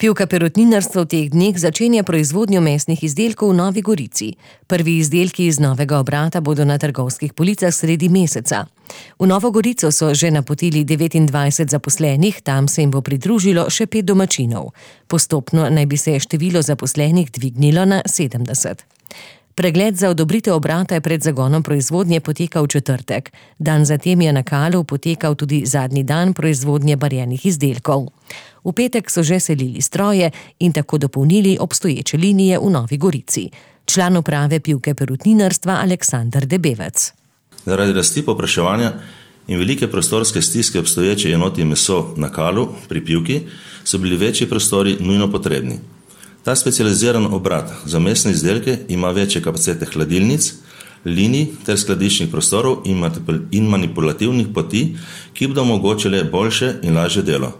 Pivka Perutninarstvo v teh dneh začenja proizvodnjo mesnih izdelkov v Novi Gorici. Prvi izdelki iz novega obrata bodo na trgovskih policah sredi meseca. V Novo Gorico so že napotili 29 zaposlenih, tam se jim bo pridružilo še 5 domačinov. Postopno naj bi se število zaposlenih dvignilo na 70. Pregled za odobritev obrata je pred zagonom proizvodnje potekal v četrtek. Dan zatem je na Kalu potekal tudi zadnji dan proizvodnje barjenih izdelkov. V petek so že selili stroje in tako dopolnili obstoječe linije v Novi Gorici. Član uprave Pivke Perutninarstva Aleksander Debevec. Zaradi rasti povpraševanja in velike prostorske stiske obstoječe enoti meso na Kalu pri Pivki so bili večji prostori nujno potrebni. Ta specializiran obrat za mesne izdelke ima večje kapacitete hladilnic, linij ter skladiščnih prostorov in manipulativnih poti, ki bodo omogočile boljše in lažje delo.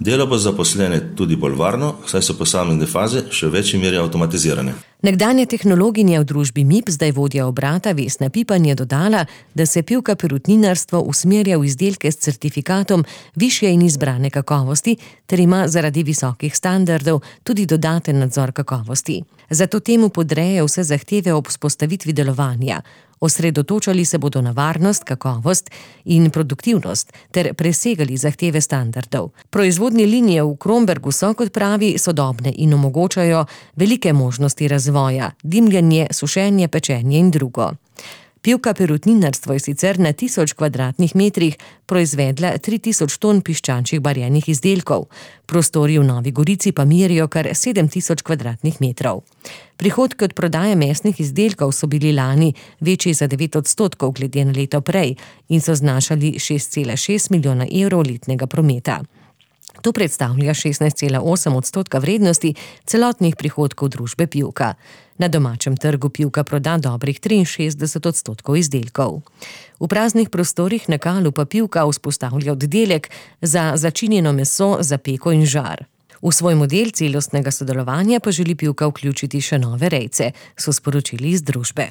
Delo bo zaposlene tudi bolj varno, saj so posamezne faze še v večji meri avtomatizirane. Nekdanja tehnologinja v družbi MIP, zdaj vodja obrata Vesna Pipan, je dodala, da se Pivka Perutninarstvo usmerja v izdelke s certifikatom višje in izbrane kakovosti ter ima zaradi visokih standardov tudi dodaten nadzor kakovosti. Zato temu podreje vse zahteve ob vzpostavitvi delovanja. Osredotočali se bodo na varnost, kakovost in produktivnost ter presegali zahteve standardov. Proizvodne linije v Krombergu so, kot pravi, sodobne in omogočajo velike možnosti razvoja, dimljenje, sušenje, pečenje in drugo. Pivka Perutninarstvo je sicer na 1000 kvadratnih metrih proizvedla 3000 ton piščančjih barjenih izdelkov. Prostori v Novi Gorici pa merijo kar 7000 kvadratnih metrov. Prihodki od prodaje mesnih izdelkov so bili lani večji za 9% glede na leto prej in so znašali 6,6 milijona evrov letnega prometa. To predstavlja 16,8% vrednosti celotnih prihodkov družbe Pivka. Na domačem trgu Pivka proda dobrih 63% izdelkov. V praznih prostorih na Kalu pa Pivka vzpostavlja oddelek za začinjeno meso, za peko in žar. V svoj model celostnega sodelovanja pa želi Pivka vključiti še nove rejce, so sporočili iz družbe.